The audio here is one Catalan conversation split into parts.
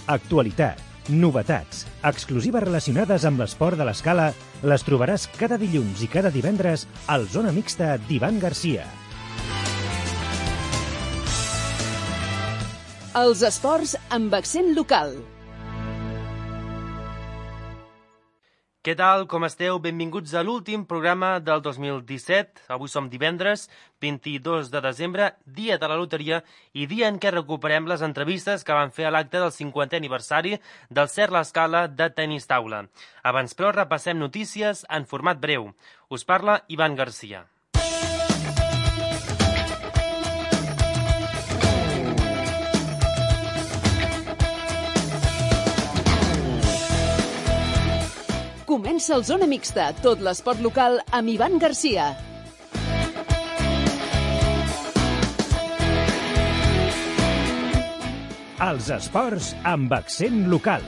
Actualitat, novetats, exclusives relacionades amb l'esport de l'escala les trobaràs cada dilluns i cada divendres al Zona Mixta d'Ivan Garcia. Els esports amb accent local. Què tal, com esteu? Benvinguts a l'últim programa del 2017. Avui som divendres, 22 de desembre, dia de la loteria i dia en què recuperem les entrevistes que van fer a l'acte del 50è aniversari del CERT L'Escala de tenis taula. Abans, però, repassem notícies en format breu. Us parla Ivan Garcia. Comença el Zona Mixta, tot l'esport local amb Ivan Garcia. Els esports amb accent local.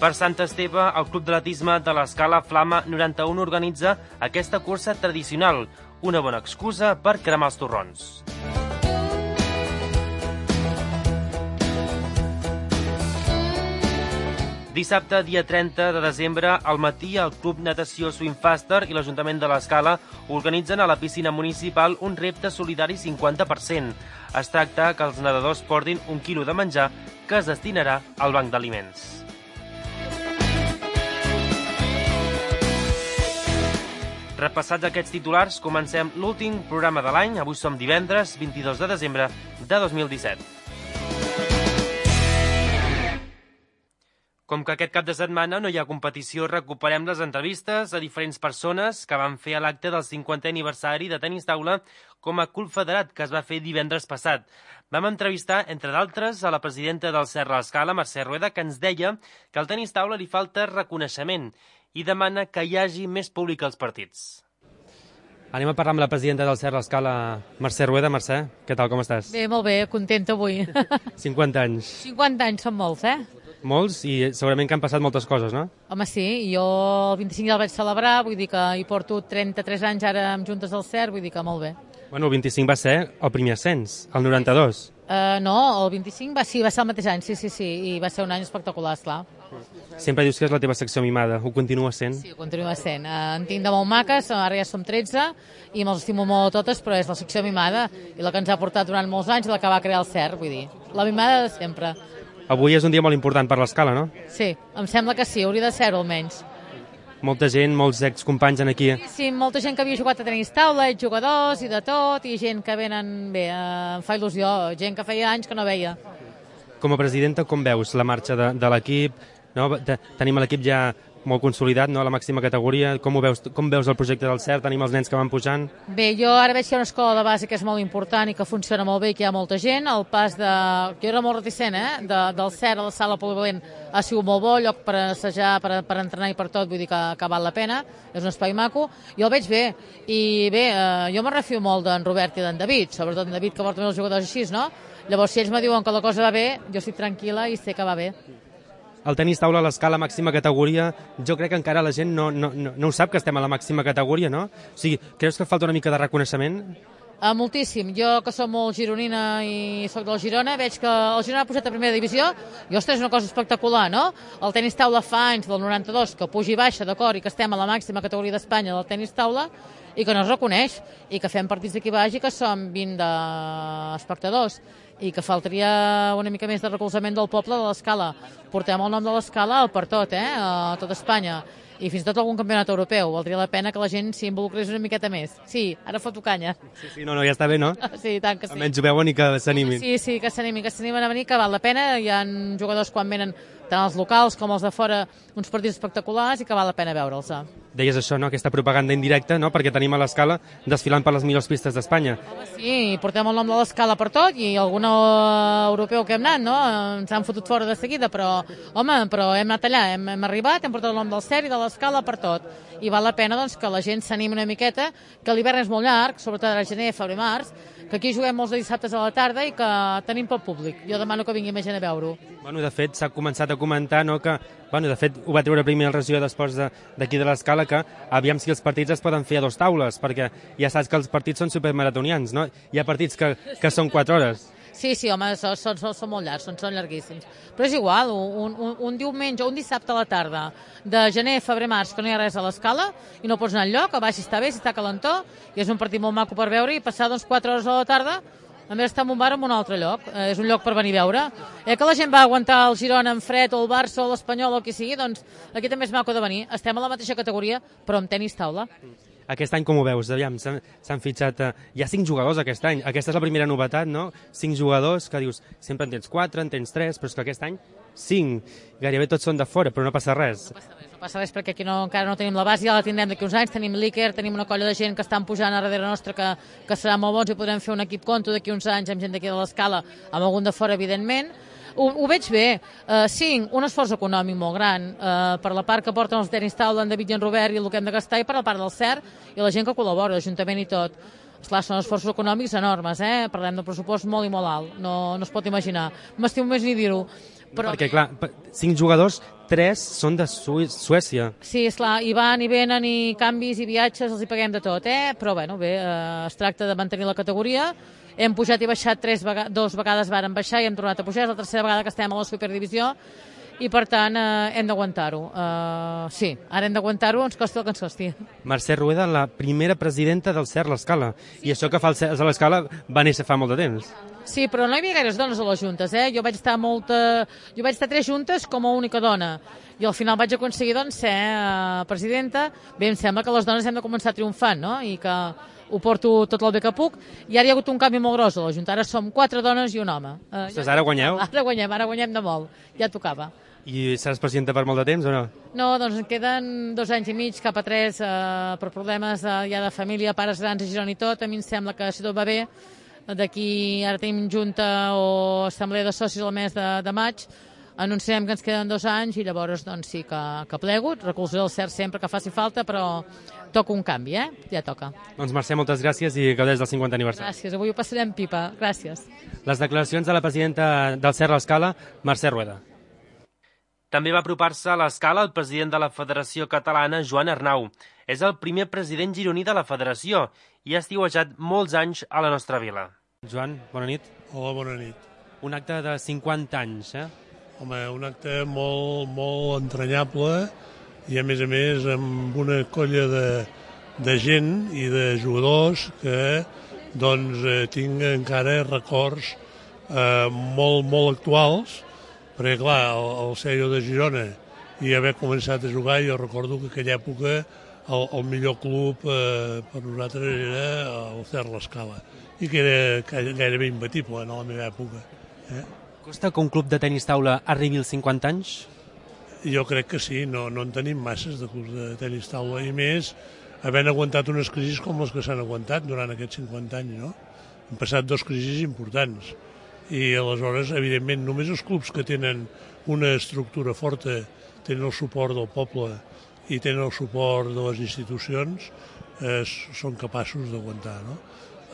Per Sant Esteve, el Club d'Atletisme de l'Escala Flama 91 organitza aquesta cursa tradicional, una bona excusa per cremar els torrons. Dissabte, dia 30 de desembre, al matí, el Club Natació Swimfaster i l'Ajuntament de l'Escala organitzen a la piscina municipal un repte solidari 50%. Es tracta que els nedadors portin 1 quilo de menjar que es destinarà al banc d'aliments. Repassats aquests titulars, comencem l'últim programa de l'any. Avui som divendres, 22 de desembre de 2017. Com que aquest cap de setmana no hi ha competició, recuperem les entrevistes a diferents persones que van fer a l'acte del 50è aniversari de tenis taula com a club federat, que es va fer divendres passat. Vam entrevistar, entre d'altres, a la presidenta del CERT L'Escala, Mercè Rueda, que ens deia que al tenis taula li falta reconeixement i demana que hi hagi més públic als partits. Anem a parlar amb la presidenta del CERT L'Escala, Mercè Rueda. Mercè, què tal, com estàs? Bé, molt bé, contenta avui. 50 anys. 50 anys són molts, Molts, i segurament que han passat moltes coses, no? Home, sí, jo el 25 ja el vaig celebrar, vull dir que hi porto 33 anys ara amb juntes del CERT, vull dir que molt bé. Bueno, el 25 va ser el primer ascens, el 92. No, el 25 va ser el mateix any, sí, i va ser un any espectacular, esclar. Sempre dius que és la teva secció mimada, ho continua sent? Sí, ho continua sent. En tinc de molt maques, ara ja som 13, i me'ls estimo molt a totes, però és la secció mimada, i la que ens ha portat durant molts anys, la que va crear el CERT, vull dir. La mimada de sempre. Avui és un dia molt important per l'Escala, no? Sí, em sembla que sí, hauria de ser-ho almenys. Molta gent, molts excompanys aquí. Sí, molta gent que havia jugat a tenis taula, jugadors i de tot, i gent que venen, bé, em fa il·lusió, gent que feia anys que no veia. Com a presidenta, com veus la marxa de l'equip? No? Tenim l'equip ja molt consolidat, no? A la màxima categoria. Com veus el projecte del CERT? Tenim els nens que van pujant? Bé, jo ara veig que hi ha una escola de base que és molt important i que funciona molt bé i que hi ha molta gent. El pas de... Jo era molt reticent, del CERT a la sala polivalent ha sigut molt bo, lloc per assajar, per entrenar i per tot, vull dir que val la pena. És un espai maco. Jo el veig bé. I bé, jo me refio molt d'en Robert i d'en David, sobretot en David, que porta més els jugadors així, no? Llavors, si ells me diuen que la cosa va bé, jo estic tranquil·la i sé que va bé. El tenis taula a l'Escala màxima categoria, jo crec que encara la gent no ho sap que estem a la màxima categoria, no? O sigui, creus que falta una mica de reconeixement? Moltíssim. Jo, que som molt gironina i soc del Girona, veig que el Girona ha pujat a primera divisió i, ostres, és una cosa espectacular, no? El tenis taula fa anys, del 92, que puja i baixa, d'acord, i que estem a la màxima categoria d'Espanya del tenis taula i que no es reconeix, i que fem partits d'aquí baix i que som 20 d'espectadors i que faltaria una mica més de recolzament del poble de l'Escala. Portem el nom de l'Escala per tot, a tot Espanya, i fins i tot algun campionat europeu. Valdria la pena que la gent s'hi involucrés una miqueta més. Sí, ara foto canya. Sí, no, ja està bé, no? Sí, tant que sí. Almenys ho veuen i que s'animin. Sí, que s'animin a venir, que val la pena. Hi ha jugadors quan venen, tant els locals com els de fora, uns partits espectaculars i que val la pena veure'ls. Deies això, no? Aquesta propaganda indirecta, no? Perquè tenim a l'Escala desfilant per les millors pistes d'Espanya. Sí, portem el nom de l'Escala per tot i algun europeu que hem anat, no? Ens han fotut fora de seguida, però, home, hem anat allà, hem arribat, hem portat el nom del CERT i de l'Escala per tot. I val la pena doncs, que la gent s'animi una miqueta, que l'hivern és molt llarg, sobretot ara gener, febrer, març, que aquí juguem molts de dissabtes a la tarda i que tenim pel públic. Jo demano que vingui més gent a veure-ho. Bueno, de fet, s'ha començat a comentar, no?, que, bueno, de fet, ho va treure primer el regidor d'Esports d'aquí de l'Escala, que aviam si els partits es poden fer a 2 taules, perquè ja saps que els partits són supermaratonians, no? Hi ha partits que són 4 hores. Sí, home, són molt llargs, són llarguíssims. Però és igual, un diumenge o un dissabte a la tarda de gener, febrer, març, que no hi ha res a l'escala i no pots anar enlloc, a baix si està bé, si està calentó, i és un partit molt maco per veure i passar 4 hores a la tarda a més estar en un bar en un altre lloc. És un lloc per venir a veure. Que la gent va aguantar el Girona en fred o el Barça o l'Espanyol o qui sigui, doncs aquí també és maco de venir. Estem a la mateixa categoria, però amb tenis taula. Aquest any com ho veus? Aviam, s'han fitxat... Hi ha 5 jugadors aquest any. Aquesta és la primera novetat, no? 5 jugadors que dius, sempre en tens 4, en tens 3, però és que aquest any 5. Gairebé tots són de fora, però no passa res. No passa res perquè aquí encara no tenim la base, ja la tindrem d'aquí uns anys, tenim l'Iker, tenim una colla de gent que estan pujant a darrere nostra que serà molt bons i podrem fer un equip conto d'aquí uns anys amb gent d'aquí de l'escala, amb algun de fora, evidentment. Ho veig bé. 5, un esforç econòmic molt gran per la part que porten els tenis taula, en David i en Robert i el que hem de gastar, i per la part del CERT i la gent que col·labora, l'Ajuntament i tot. Esclar, són esforços econòmics enormes, parlem d'un pressupost molt i molt alt, no es pot imaginar. M'estimo més ni dir-ho. Però... Perquè, clar, 5 jugadors, 3 són de Suècia. Sí, esclar, i van i venen i canvis i viatges, els hi paguem de tot, Però bé, es tracta de mantenir la categoria. Hem pujat i baixat 2 vegades varen baixar i hem tornat a pujar, és la tercera vegada que estem a la superdivisió i per tant hem d'aguantar-ho. Sí, ara hem d'aguantar-ho, ens costi el que ens costi. Mercè Rueda, la primera presidenta del CERT l'Escala, i això que fa el CERT a l'Escala va néixer fa molt de temps. Sí, però no hi havia gaires dones a les juntes, Jo vaig estar 3 juntes com a única dona i al final vaig aconseguir ser presidenta. Bé, em sembla que les dones hem de començar triomfant, no? I que ho porto tot el bé que puc, i ara hi ha hagut un canvi molt gros a la Junta, ara som 4 dones i un home. Ara guanyeu? Ara guanyem de molt, ja tocava. I seràs presidenta per molt de temps o no? No, doncs en queden 2 anys i mig, cap a 3, per problemes ja de família, pares grans a Girona i tot. A mi em sembla que si tot va bé, d'aquí ara tenim junta o assemblea de socis al mes de maig, anunciem que ens queden 2 anys i llavors doncs sí que plego, recolzaré el CERT sempre que faci falta, però toca un canvi, ja toca. Doncs Mercè, moltes gràcies i gaudeix del 50 aniversari. Gràcies, avui ho passarem pipa, gràcies. Les declaracions de la presidenta del CERT l'Escala, Mercè Rueda. També va apropar-se a l'Escala el president de la Federació Catalana, Joan Arnau. És el primer president gironí de la federació i ha estiuejat molts anys a la nostra vila. Joan, bona nit. Hola, bona nit. Un acte de 50 anys, Home, un acte molt entranyable i a més amb una colla de gent i de jugadors que doncs tinc encara records molt actuals, perquè clar, el Cello de Girona i haver començat a jugar, jo recordo que en aquella època el millor club per nosaltres era el CERT l'Escala i que era gairebé imbatible en la meva època. Costa que un club de tenis taula arribi als 50 anys? Jo crec que sí, no en tenim masses de clubs de tenis taula i més havent aguantat unes crisis com les que s'han aguantat durant aquests 50 anys, no? Han passat 2 crisis importants i aleshores, evidentment, només els clubs que tenen una estructura forta, tenen el suport del poble i tenen el suport de les institucions, són capaços d'aguantar, no?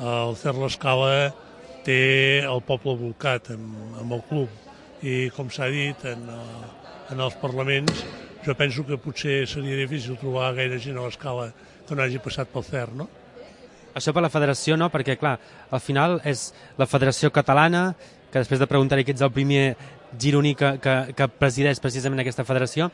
El CERT l'Escala té el poble volcat amb el club i, com s'ha dit, en els parlaments, jo penso que potser seria difícil trobar gaire gent a l'Escala que no hagi passat pel CERT, no? Això per la federació, no? Perquè, clar, al final és la Federació Catalana, que després de preguntar-hi que ets el primer gironí que presideix precisament aquesta federació.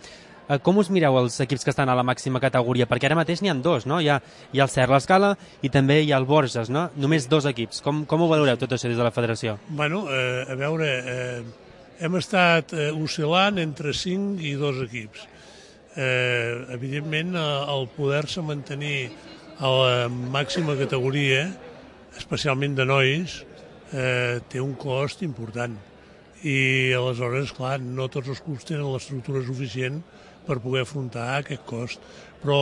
Com us mireu els equips que estan a la màxima categoria? Perquè ara mateix n'hi ha 2, no? Hi ha el CERT l'Escala i també hi ha el Borges, no? Només 2 equips. Com ho valoreu tot això des de la federació? Bueno, a veure, hem estat oscil·lant entre 5 i 2 equips. Evidentment, el poder-se mantenir a la màxima categoria, especialment de nois, té un cost important. I aleshores, clar, no tots els clubs tenen l'estructura suficient per poder afrontar aquest cost. Però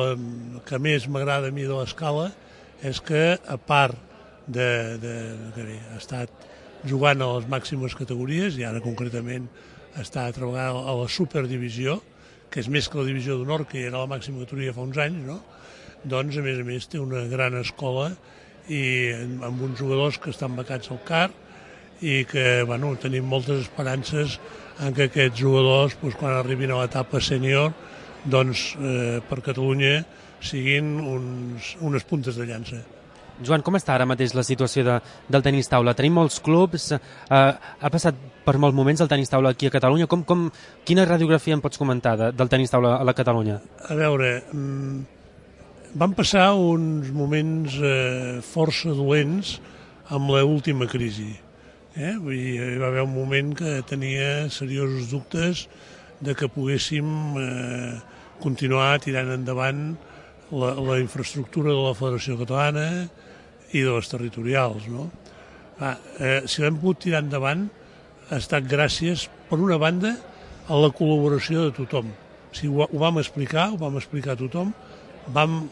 el que més m'agrada a mi de l'Escala és que, a part de que ha estat jugant a les màximes categories, i ara concretament està treballant a la superdivisió, que és més que la divisió d'honor, que era la màxima categoria fa uns anys, no? Doncs, a més, té una gran escola i amb uns jugadors que estan becats al CAR i que, bueno, tenim moltes esperances en que aquests jugadors, doncs, quan arribin a l'etapa sènior, doncs, per Catalunya siguin unes puntes de llança. Joan, com està ara mateix la situació del tenis taula? Tenim molts clubs, ha passat per molts moments el tenis taula aquí a Catalunya. Quina radiografia em pots comentar del tenis taula a la Catalunya? A veure, van passar uns moments força dolents amb l'última crisi. Vull dir, hi va haver un moment que tenia seriosos dubtes de que poguéssim continuar tirant endavant la infraestructura de la Federació Catalana i de les territorials. No? Si l'hem pogut tirar endavant ha estat gràcies, per una banda, a la col·laboració de tothom. Ho vam explicar a tothom, vam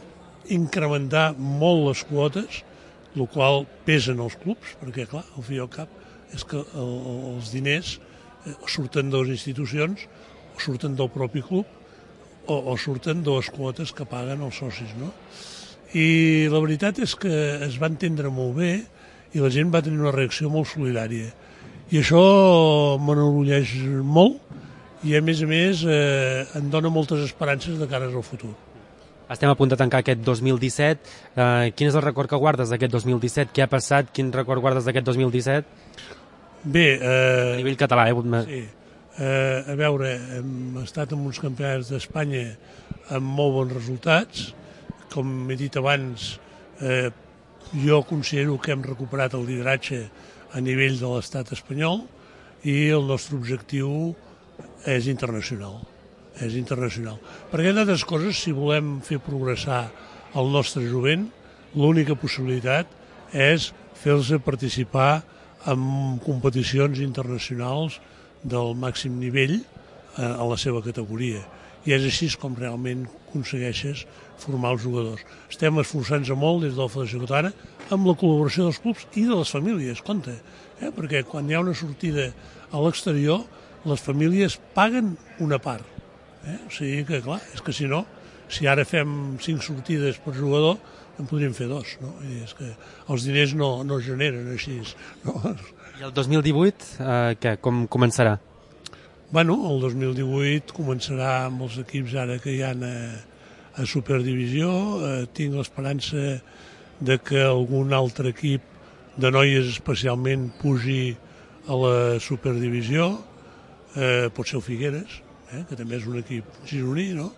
incrementar molt les quotes, el qual pesen els clubs, perquè, clar, al fi i al cap és que els diners surten de les institucions, o surten del propi club, o surten de les quotes que paguen els socis, no? I la veritat és que es va entendre molt bé i la gent va tenir una reacció molt solidària. I això m'enorgulleix molt i, a més, em dona moltes esperances de cara al futur. Estem a punt de tancar aquest 2017. Quin és el record que guardes d'aquest 2017? Què ha passat? Quin record guardes d'aquest 2017? Bé... a nivell català, Sí. A veure, hem estat en uns campionats d'Espanya amb molt bons resultats. Com he dit abans, jo considero que hem recuperat el lideratge a nivell de l'estat espanyol i el nostre objectiu és internacional. És internacional. Perquè, entre altres coses, si volem fer progressar el nostre jovent, l'única possibilitat és fer-los participar en competicions internacionals del màxim nivell a la seva categoria. I és així com realment aconsegueixes formar els jugadors. Estem esforçant-nos molt des de la Federació Catalana amb la col·laboració dels clubs i de les famílies, compte, perquè quan hi ha una sortida a l'exterior, les famílies paguen una part. O sigui que, clar, és que si no, si ara fem 5 sortides per jugador, en podríem fer 2, no? I és que els diners no es generen així. No? I el 2018, què? Com començarà? Bueno, el 2018 començarà amb els equips ara que hi ha a Superdivisió. Tinc l'esperança de que algun altre equip de noies especialment pugi a la Superdivisió. Pot ser el Figueres, que també és un equip gironí, no?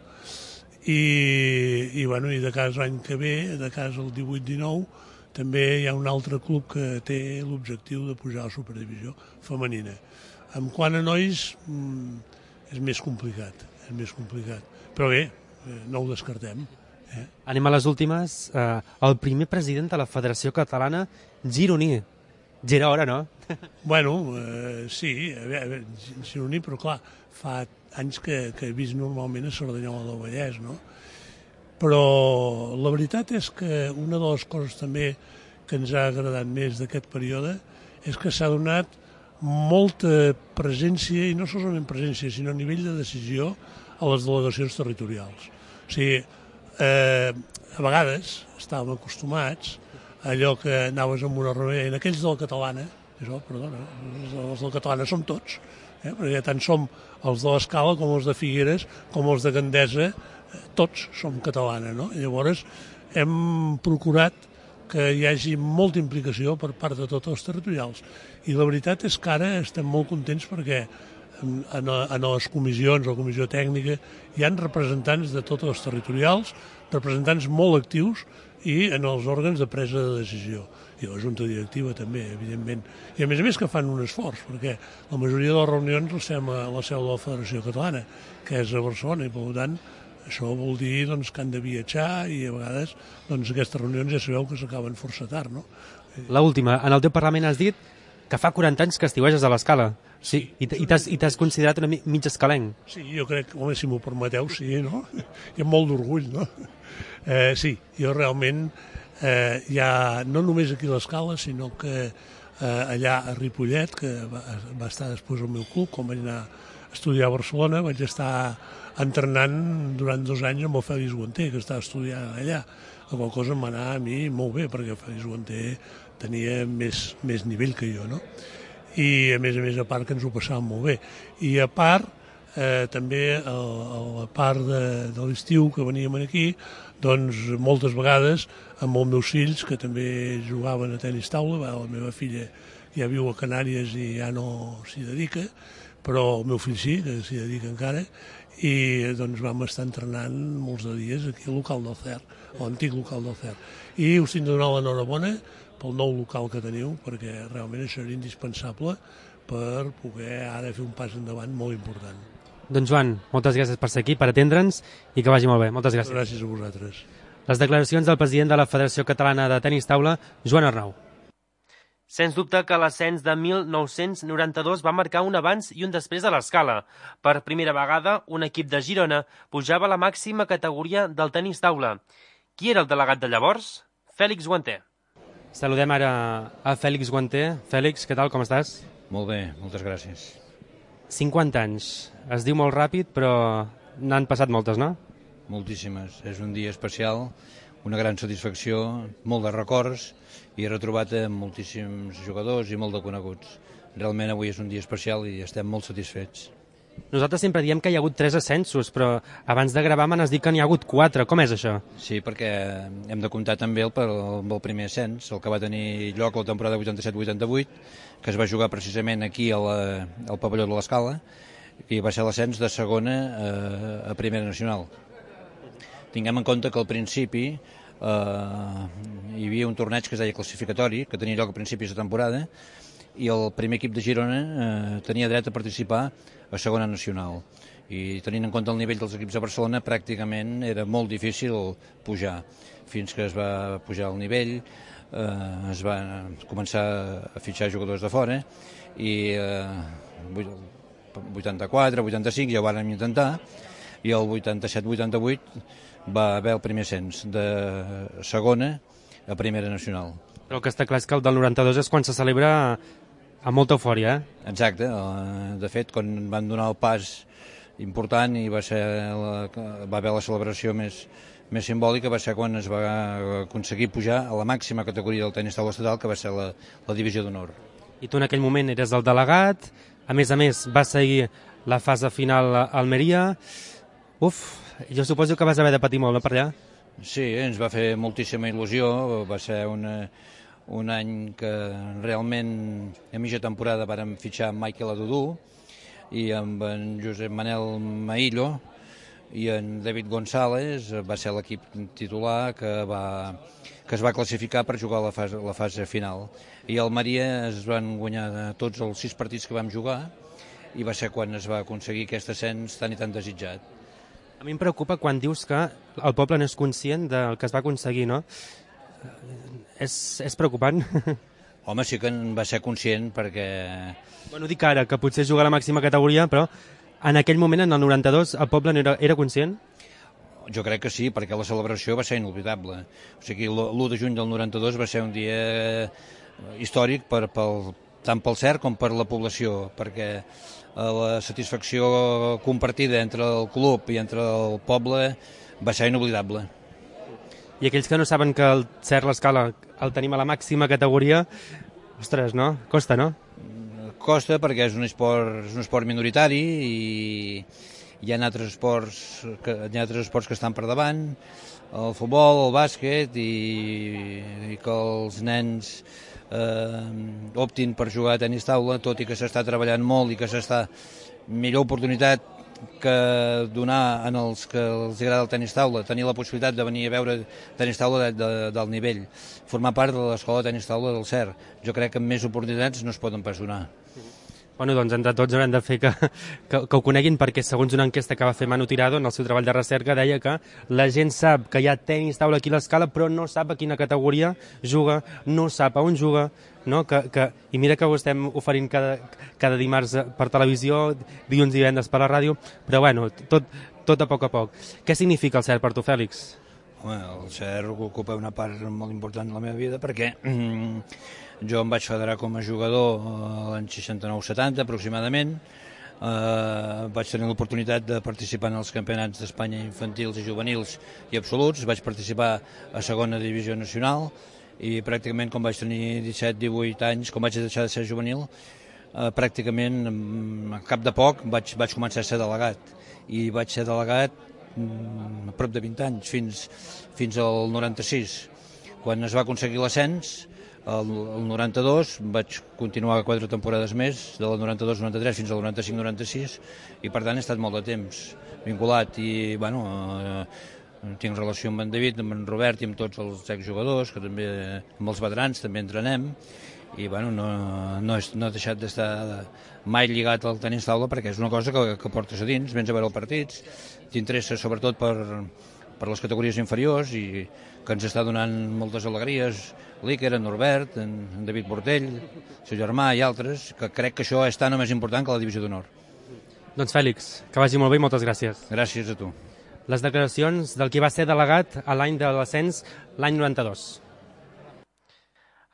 I de cas l'any que ve, de cas el 18-19, també hi ha un altre club que té l'objectiu de pujar a la Superdivisió femenina. En quant a nois, és més complicat. Però bé, no ho descartem. Anem a les últimes. El primer president de la Federació Catalana gironí. Ja era hora, no? Bueno, sí, gironí, però clar, fa anys que he vist normalment a Cerdanyola del Vallès, no? Però la veritat és que una de les coses també que ens ha agradat més d'aquest període és que s'ha donat molta presència, i no solament presència, sinó a nivell de decisió a les delegacions territorials. O sigui, a vegades estàvem acostumats a allò que anaves amb una reunió, en aquells de la Catalana, els de la Catalana som tots, perquè tant som els de l'Escala com els de Figueres, com els de Gandesa, tots som catalana, no? I llavors hem procurat que hi hagi molta implicació per part de tots els territorials. I la veritat és que ara estem molt contents perquè en les comissions, a la comissió tècnica, hi ha representants de tots els territorials, representants molt actius, i en els òrgans de presa de decisió. I la junta directiva també, evidentment. I a més que fan un esforç, perquè la majoria de les reunions les fem a la seu de la Federació Catalana, que és a Barcelona, i per tant això vol dir que han de viatjar i a vegades aquestes reunions ja sabeu que s'acaben força tard, no? L'última, en el teu Parlament has dit que fa 40 anys que estiueges a l'Escala. Sí, i t'has considerat una mig escalenc. Sí, jo crec, home, si m'ho permeteu, sí, no? I amb molt d'orgull, no? Sí, jo realment ja no només aquí a l'Escala, sinó que allà a Ripollet, que va estar després al meu club, quan vaig anar a estudiar a Barcelona, vaig estar entrenant durant 2 anys amb el Fèlix Guanter, que estava estudiant allà. La qual cosa em va anar a mi molt bé, perquè el Fèlix Guanter tenia més nivell que jo, no? I a més, a part que ens ho passàvem molt bé. I a part, també a la part de l'estiu que veníem aquí, doncs moltes vegades amb els meus fills, que també jugaven a tenis taula, la meva filla ja viu a Canàries i ja no s'hi dedica, però el meu fill sí, que s'hi dedica encara, i doncs vam estar entrenant molts de dies aquí al local del CER, a l'antic local del CER. I us tinc de donar l'enhorabona pel nou local que teniu, perquè realment això era indispensable per poder ara fer un pas endavant molt important. Doncs Joan, moltes gràcies per ser aquí, per atendre'ns i que vagi molt bé. Moltes gràcies. Gràcies a vosaltres. Les declaracions del president de la Federació Catalana de Tenis Taula, Joan Arnau. Sens dubte que l'ascens de 1992 va marcar un abans i un després a l'escala. Per primera vegada, un equip de Girona pujava a la màxima categoria del tenis taula. Qui era el delegat de llavors? Fèlix Guanter. Saludem ara a Fèlix Guanter. Fèlix, què tal, com estàs? Molt bé, moltes gràcies. 50 anys. Es diu molt ràpid, però n'han passat moltes, no? Moltíssimes. És un dia especial, una gran satisfacció, molt de records, i he retrobat moltíssims jugadors i molt de coneguts. Realment avui és un dia especial i estem molt satisfets. Nosaltres sempre diem que hi ha hagut 3 ascensos, però abans de gravar m'han dit que n'hi ha hagut 4. Com és això? Sí, perquè hem de comptar també el primer ascens, el que va tenir lloc la temporada 87-88, que es va jugar precisament aquí al pavelló de l'Escala, i va ser l'ascens de segona a primera nacional. Tinguem en compte que al principi hi havia un torneig que es deia classificatori, que tenia lloc a principis de temporada, i el primer equip de Girona tenia dret a participar a segona nacional. I tenint en compte el nivell dels equips de Barcelona, pràcticament era molt difícil pujar. Fins que es va pujar el nivell, es va començar a fitxar jugadors de fora, i 84, 85 ja ho vàrem intentar, i el 87-88 va haver el primer ascens de segona a primera nacional. Però el que està clar és que el del 92 és quan se celebra amb molta eufòria, eh? Exacte. De fet, quan van donar el pas important i va haver la celebració més simbòlica, va ser quan es va aconseguir pujar a la màxima categoria del tenis taula estatal, que va ser la divisió d'honor. I tu en aquell moment eres el delegat, a més, va seguir la fase final a Almeria. Jo suposo que vas haver de patir molt, no, per allà? Sí, ens va fer moltíssima il·lusió, va ser un any que realment a mitja temporada vàrem fitxar Michael Adudú i amb en Josep Manel Maillo i en David González, va ser l'equip titular que es va classificar per jugar la fase final. I a Almeria es van guanyar tots els 6 partits que vam jugar i va ser quan es va aconseguir aquest ascens tan i tan desitjat. A mi em preocupa quan dius que el poble no és conscient del que es va aconseguir, no? És preocupant? Home, sí que en va ser conscient perquè... Bueno, dic ara, que potser juga a la màxima categoria, però en aquell moment, en el 92, el poble no era conscient? Jo crec que sí, perquè la celebració va ser inolvidable. O sigui, l'1 de juny del 92 va ser un dia històric tant pel CERT com per la població, perquè la satisfacció compartida entre el club i entre el poble va ser inoblidable. I aquells que no saben que el CERT l'Escala el tenim a la màxima categoria, ostres, no? Costa, no? Costa perquè és un esport minoritari i hi ha altres esports que estan per davant, el futbol, el bàsquet, i que els nens optin per jugar a tenis taula, tot i que s'està treballant molt i que s'està millor oportunitat que donar en els que els agrada el tenis taula, tenir la possibilitat de venir a veure tenis taula del nivell, formar part de l'escola de tenis taula del CERT. Jo crec que amb més oportunitats no es poden pas donar. Bueno, doncs entre tots haurem de fer que ho coneguin, perquè segons una enquesta que va fer Manu Tirado en el seu treball de recerca deia que la gent sap que hi ha tenis taula aquí a l'Escala, però no sap a quina categoria juga, no sap a on juga, no? I mira que ho estem oferint cada dimarts per televisió, dilluns i divendres per la ràdio, però bueno, tot a poc. Què significa el CERT per tu, Fèlix? Home, el CERT ocupa una part molt important de la meva vida perquè jo em vaig federar com a jugador l'any 69-70 aproximadament. Vaig tenir l'oportunitat de participar en els campionats d'Espanya infantils i juvenils i absoluts. Vaig participar a segona divisió nacional i pràcticament quan vaig tenir 17-18 anys, quan vaig deixar de ser juvenil, pràcticament a cap de poc vaig començar a ser delegat, i vaig ser delegat a prop de 20 anys, fins al 96. Quan es va aconseguir l'ascens, el 92, vaig continuar 4 temporades més, del 92-93 fins al 95-96, i per tant he estat molt de temps vinculat, i bueno, tinc relació amb en David, amb en Robert i amb tots els exjugadors, que també amb els veterans també entrenem, i bueno, no he deixat d'estar mai lligat al tenis taula, perquè és una cosa que portes a dins, vens a veure els partits, t'interessa sobretot per les categories inferiors, i que ens està donant moltes alegries, l'Iker, en Norbert, en David Portell, el seu germà i altres, que crec que això és tan o més important que la divisió d'honor. Doncs Fèlix, que vagi molt bé i moltes gràcies. Gràcies a tu. Les declaracions del qui va ser delegat a l'any de l'ascens, l'any 92.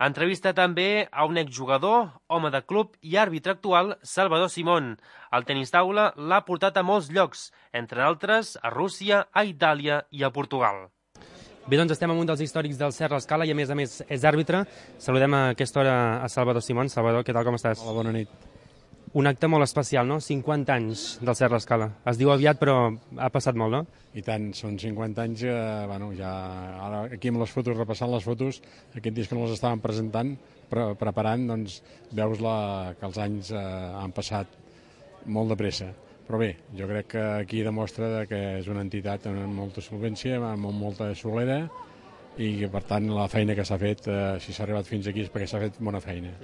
Entrevista també a un exjugador, home de club i àrbitre actual, Salvador Simón. El tenis taula l'ha portat a molts llocs, entre altres a Rússia, a Itàlia i a Portugal. Bé, doncs estem amb un dels històrics del Cert l'Escala i a més és àrbitre. Saludem a aquesta hora a Salvador Simón. Salvador, què tal, com estàs? Hola, bona nit. Un acte molt especial, no? 50 anys del Cert l'Escala. Es diu aviat, però ha passat molt, no? I tant, són 50 anys, bueno, ja ara aquí amb les fotos, repassant les fotos, aquest dia que no les estàvem presentant, preparant, doncs veus que els anys han passat molt de pressa. Però bé, jo crec que aquí demostra que és una entitat amb molta solvència, amb molta solera, i que per tant la feina que s'ha fet, si s'ha arribat fins aquí és perquè s'ha fet bona feina.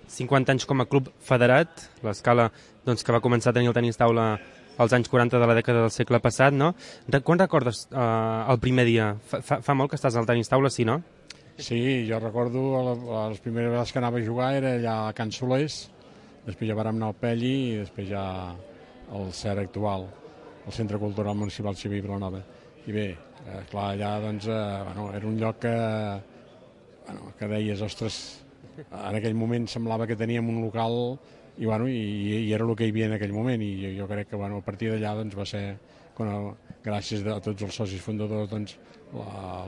50 anys com a club federat, l'Escala doncs, que va començar a tenir el tenis taula als anys 40 de la dècada del segle passat, no? Quan recordes el primer dia? Fa molt que estàs al tenis taula, sí, no? Sí, jo recordo les primeres vegades que anava a jugar era allà a Can Solers, després ja vàrem anar al Pelli i després ja al CER actual, el Centre Cultural Municipal Xavier Vilanova. I bé, clar, allà doncs, bueno, era un lloc que deies, ostres, en aquell moment semblava que teníem un local i, bueno, i era el que hi havia en aquell moment, i jo crec que bueno, a partir d'allà doncs, va ser, gràcies a tots els socis fundadors, doncs,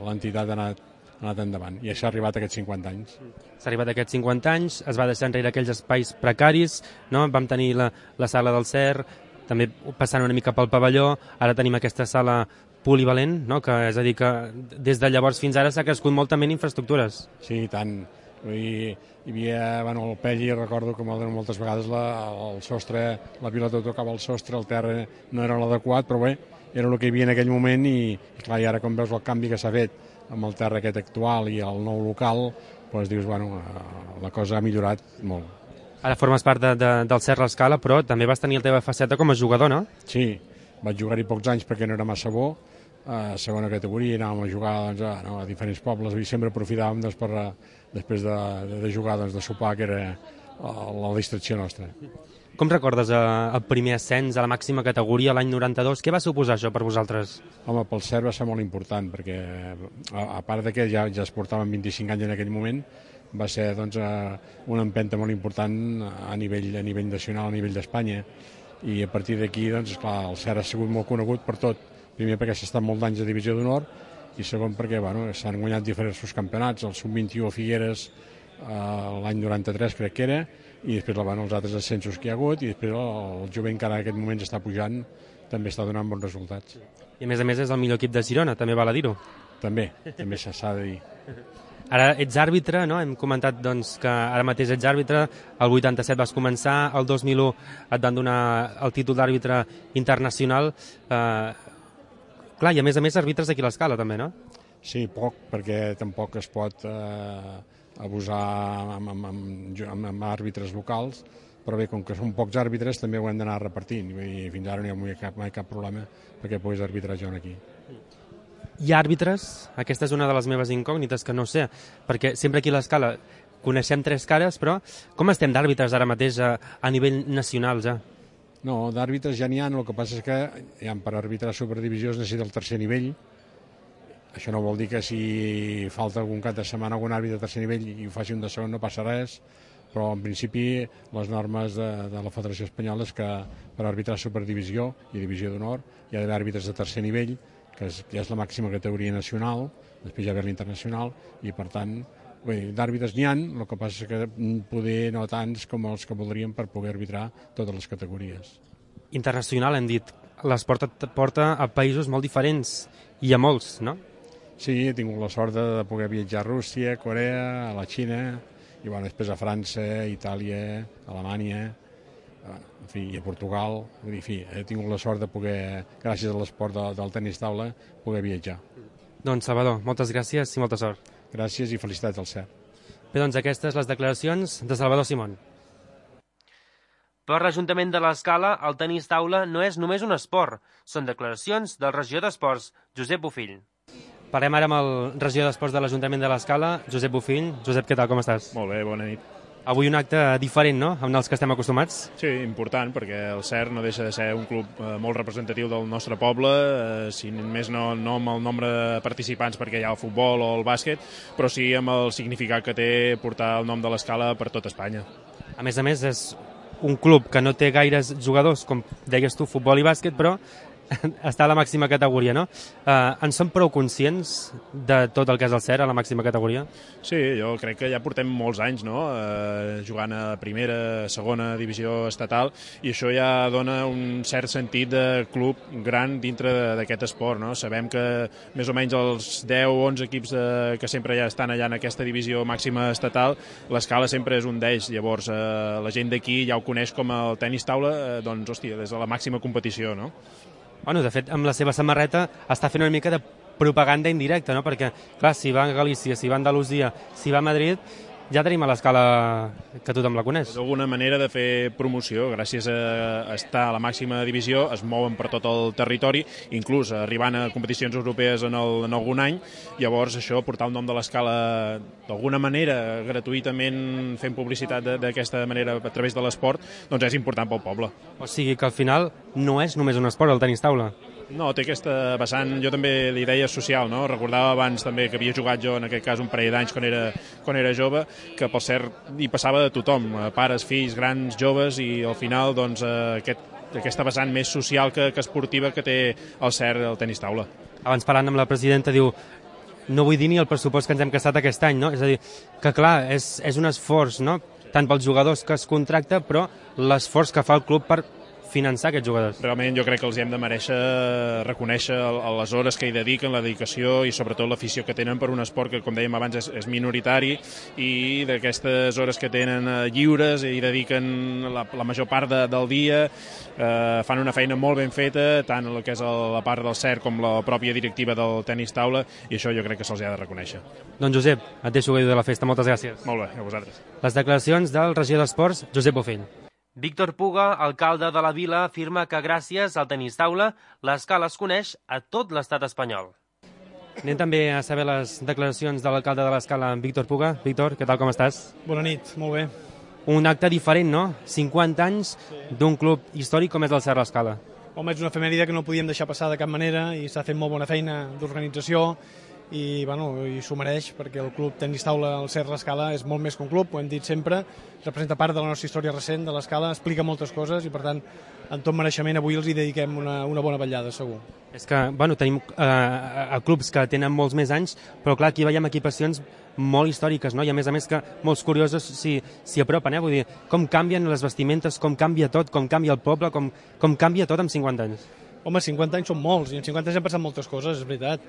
l'entitat ha anat endavant, i s'ha arribat a aquests 50 anys. S'ha arribat a aquests 50 anys, es va deixar enrere aquells espais precaris, no? Vam tenir la sala del CER, també passant una mica pel pavelló, ara tenim aquesta sala polivalent, no? Que, és a dir, que des de llavors fins ara s'ha crescut molt també en infraestructures. Sí, i tant. Hi havia, bueno, el Pelli, recordo que moltes vegades el sostre, la pilota tocava el sostre, el terra no era l'adequat, però bé, era el que hi havia en aquell moment, i clar, i ara com veus el canvi que s'ha fet amb el terra aquest actual i el nou local, doncs dius, bueno, la cosa ha millorat molt. Ara formes part del Cert l'Escala, però també vas tenir la teva faceta com a jugador, no? Sí, vaig jugar-hi pocs anys perquè no era massa bo, a segona categoria, anàvem a jugar doncs, a diferents pobles, i sempre aprofitàvem doncs, després de jugar, doncs, de sopar, que era la distracció nostra. Com recordes el primer ascens a la màxima categoria l'any 92? Què va suposar això per vosaltres? Home, pel CERT va ser molt important, perquè a part de que ja es portaven 25 anys en aquell moment, va ser doncs, una empenta molt important a nivell nacional, a nivell d'Espanya, i a partir d'aquí doncs, clar, el CERT ha sigut molt conegut per tot. Primer perquè s'ha estat molts anys a divisió d'honor, i segon perquè bueno, s'han guanyat diversos campionats, el Sub-21 a Figueres l'any 93 crec que era, i després bueno, els altres ascensos que hi ha hagut, i després el jovent que ara en aquest moment està pujant també està donant bons resultats. I a més és el millor equip de Girona, també val a dir-ho. També s'ha de dir. Ara ets àrbitre, no? Hem comentat doncs, que ara mateix ets àrbitre, el 87 vas començar, el 2001 et van donar el títol d'àrbitre internacional. Clar, i a més arbitres d'aquí a l'Escala també, no? Sí, poc, perquè tampoc es pot abusar amb àrbitres locals, però bé, com que són pocs àrbitres també ho hem d'anar repartint, i fins ara no hi ha mai cap problema perquè puguis arbitrar jo aquí. Hi ha àrbitres? Aquesta és una de les meves incògnites, que no sé, perquè sempre aquí a l'Escala coneixem 3 cares, però com estem d'àrbitres ara mateix a nivell nacional ja? No, d'àrbitres ja n'hi ha, el que passa és que per arbitrar superdivisió es necessita el tercer nivell. Això no vol dir que si falta algun cap de setmana algun àrbitre de tercer nivell i ho faci un de segon no passa res, però en principi les normes de la Federació Espanyola és que per arbitrar superdivisió i divisió d'honor hi ha d'haver àrbitres de tercer nivell, que ja és la màxima categoria nacional, després ja ve l'internacional, i per tant d'àrbitres n'hi ha, el que passa és que poder no tants com els que voldríem per poder arbitrar totes les categories. Internacional, hem dit. L'esport et porta a països molt diferents, i a molts, no? Sí, he tingut la sort de poder viatjar a Rússia, a Corea, a la Xina, i després a França, a Itàlia, a Alemanya, en fi, i a Portugal. Vull dir, en fi, he tingut la sort de poder, gràcies a l'esport del tenis taula, poder viatjar. Doncs, Salvador, moltes gràcies i molta sort. Gràcies i felicitats al CERT. Bé, doncs aquestes les declaracions de Salvador Simón. Per l'Ajuntament de l'Escala, el tenis taula no és només un esport. Són declaracions del regidor d'Esports, Josep Bofill. Parlem ara amb el regidor d'Esports de l'Ajuntament de l'Escala, Josep Bofill. Josep, què tal, com estàs? Molt bé, bona nit. Avui un acte diferent, no?, amb els que estem acostumats. Sí, important, perquè el CERT no deixa de ser un club molt representatiu del nostre poble, si més no amb el nombre de participants perquè hi ha el futbol o el bàsquet, però sí amb el significat que té portar el nom de l'Escala per tot Espanya. A més, és un club que no té gaires jugadors, com deies tu, futbol i bàsquet, però està a la màxima categoria, no? En som prou conscients de tot el que és el CERT a la màxima categoria? Sí, jo crec que ja portem molts anys, no?, jugant a primera, segona divisió estatal, i això ja dona un cert sentit de club gran dintre d'aquest esport, no? Sabem que més o menys els 10 o 11 equips que sempre ja estan allà en aquesta divisió màxima estatal, l'Escala sempre és un d'ells. Llavors, la gent d'aquí ja ho coneix com el tenis taula, doncs, hòstia, des de la màxima competició, no? Bueno, de fet, amb la seva samarreta està fent una mica de propaganda indirecta, no? Perquè, clar, si va a Galícia, si va a Andalusia, si va a Madrid, ja tenim a l'Escala que tothom la coneix. D'alguna manera de fer promoció, gràcies a estar a la màxima divisió, es mouen per tot el territori, inclús arribant a competicions europees en algun any. Llavors, això, portar el nom de l'Escala d'alguna manera, gratuïtament, fent publicitat d'aquesta manera a través de l'esport, doncs és important pel poble. O sigui que al final no és només un esport, el tenis taula. No, té aquesta vessant, jo també li deia social, no? Recordava abans també que havia jugat jo, en aquest cas, un parell d'anys quan era jove, que per cert hi passava de tothom, pares, fills, grans, joves, i al final doncs, aquesta vessant més social que esportiva que té el CERT, el tenis taula. Abans parlant amb la presidenta, diu, no vull dir ni el pressupost que ens hem gastat aquest any, no? És a dir, que clar, és un esforç, no?, tant pels jugadors que es contracta, però l'esforç que fa el club per finançar aquests jugadors. Realment jo crec que els hem de mereixer reconèixer les hores que hi dediquen, la dedicació i sobretot l'afició que tenen per un esport que, com dèiem abans, és minoritari, i d'aquestes hores que tenen lliures i dediquen la major part del dia, fan una feina molt ben feta, tant el que és la part del CERT com la pròpia directiva del tenis taula, i això jo crec que se'ls ha de reconèixer. Doncs Josep, et deixo gaudir de la festa, moltes gràcies. Molt bé, a vosaltres. Les declaracions del regidor d'Esports, Josep Bofill. Víctor Puga, alcalde de la vila, afirma que gràcies al tenis taula l'Escala es coneix a tot l'estat espanyol. Anem també a saber les declaracions de l'alcalde de l'Escala, Víctor Puga. Víctor, què tal, com estàs? Bona nit, molt bé. Un acte diferent, no? 50 anys d'un club històric com és el CERT l'Escala. Home, és una efemèride que no podíem deixar passar de cap manera i s'ha fet molt bona feina d'organització i s'ho mereix, perquè el club tenis taula, el CERT l'Escala, és molt més que un club, ho hem dit sempre, representa part de la nostra història recent de l'Escala, explica moltes coses i per tant, en tot mereixement, avui els hi dediquem una bona vetllada, segur. És que, tenim clubs que tenen molts més anys, però clar, aquí veiem equipacions molt històriques, no? I a més que molts curiosos s'hi apropen, vull dir, com canvien les vestimentes, com canvia tot, com canvia el poble, com canvia tot en 50 anys. Home, 50 anys són molts, i en 50 anys han passat moltes coses, és veritat.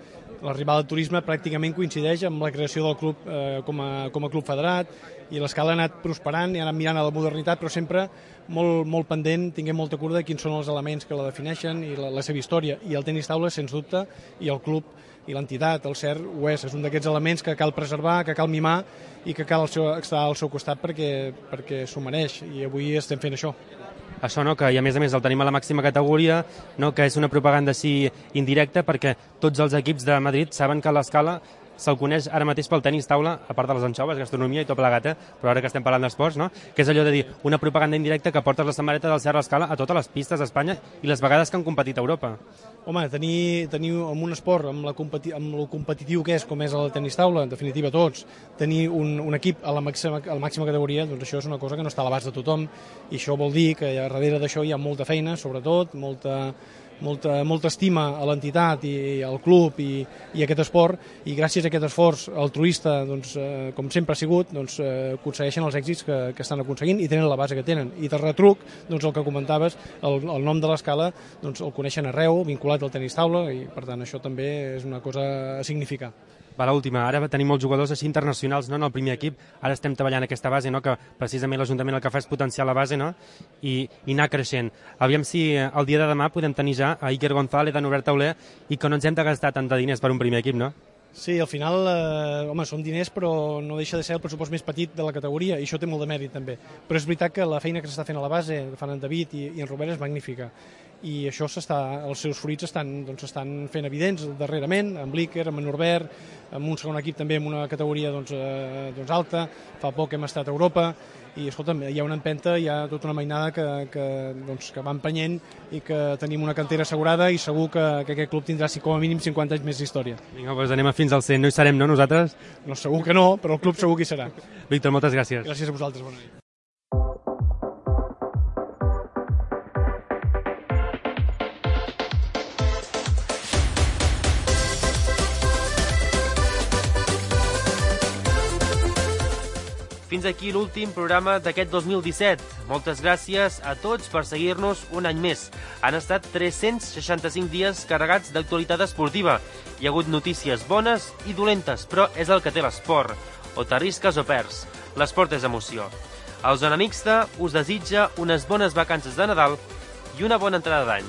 L'arribada del turisme pràcticament coincideix amb la creació del club com a club federat, i l'Escala ha anat prosperant i ha anat mirant a la modernitat, però sempre molt pendent, tinguem molta cura de quins són els elements que la defineixen i la seva història. I el tenis taula, sens dubte, i el club i l'entitat, el CERT, ho és un d'aquests elements que cal preservar, que cal mimar i que cal estar al seu costat perquè s'ho mereix, i avui estem fent això. Això, no?, que i a més el tenim a la màxima categoria, no?, que és una propaganda així indirecta, perquè tots els equips de Madrid saben que l'Escala se'l coneix ara mateix pel tenis taula, a part de les anxoves, gastronomia i tot plegat, però ara que estem parlant d'esports, no?, que és allò de dir una propaganda indirecta que portes la samarreta del CERT l'Escala a totes les pistes d'Espanya i les vegades que han competit a Europa. Home, tenir en un esport, amb el competitiu que és, com és el tenis taula, en definitiva tots, tenir un equip a la màxima categoria, doncs això és una cosa que no està a l'abast de tothom, i això vol dir que darrere d'això hi ha molta feina, sobretot, molta molta estima a l'entitat i al club i a aquest esport, i gràcies a aquest esforç altruista, doncs, com sempre ha sigut, doncs, aconsegueixen els èxits que estan aconseguint i tenen la base que tenen. I de retruc, doncs, el que comentaves, el nom de l'escala doncs, el coneixen arreu, vinculat al tenis taula, i per tant això també és una cosa a significar. Va, l'última. Ara tenim molts jugadors així internacionals, no?, en el primer equip. Ara estem treballant aquesta base, no?, que precisament l'Ajuntament el que fa és potenciar la base, no?, i anar creixent. Aviam si el dia de demà podem tenir ja a Iker González, a Norbert Tauler, i que no ens hem de gastar tant de diners per un primer equip, no? Sí, al final, home, són diners, però no deixa de ser el pressupost més petit de la categoria, i això té molt de mèrit, també. Però és veritat que la feina que s'està fent a la base, que fan en David i en Robert, és magnífica. I això els seus fruits s'estan fent evidents darrerament, amb l'Iker, amb en Norbert, amb un segon equip també en una categoria alta. Fa poc hem estat a Europa i, escolta'm, hi ha una empenta, hi ha tota una mainada que va empenyent i que tenim una cantera assegurada, i segur que aquest club tindrà com a mínim 50 anys més d'història. Vinga, doncs anem fins al 100. No hi serem, no, nosaltres? No, segur que no, però el club segur que hi serà. Víctor, moltes gràcies. Gràcies a vosaltres, bona nit. Fins aquí l'últim programa d'aquest 2017. Moltes gràcies a tots per seguir-nos un any més. Han estat 365 dies carregats d'actualitat esportiva. Hi ha hagut notícies bones i dolentes, però és el que té l'esport. O t'arrisques o perds. L'esport és emoció. El Zona Mixta us desitja unes bones vacances de Nadal i una bona entrada d'any.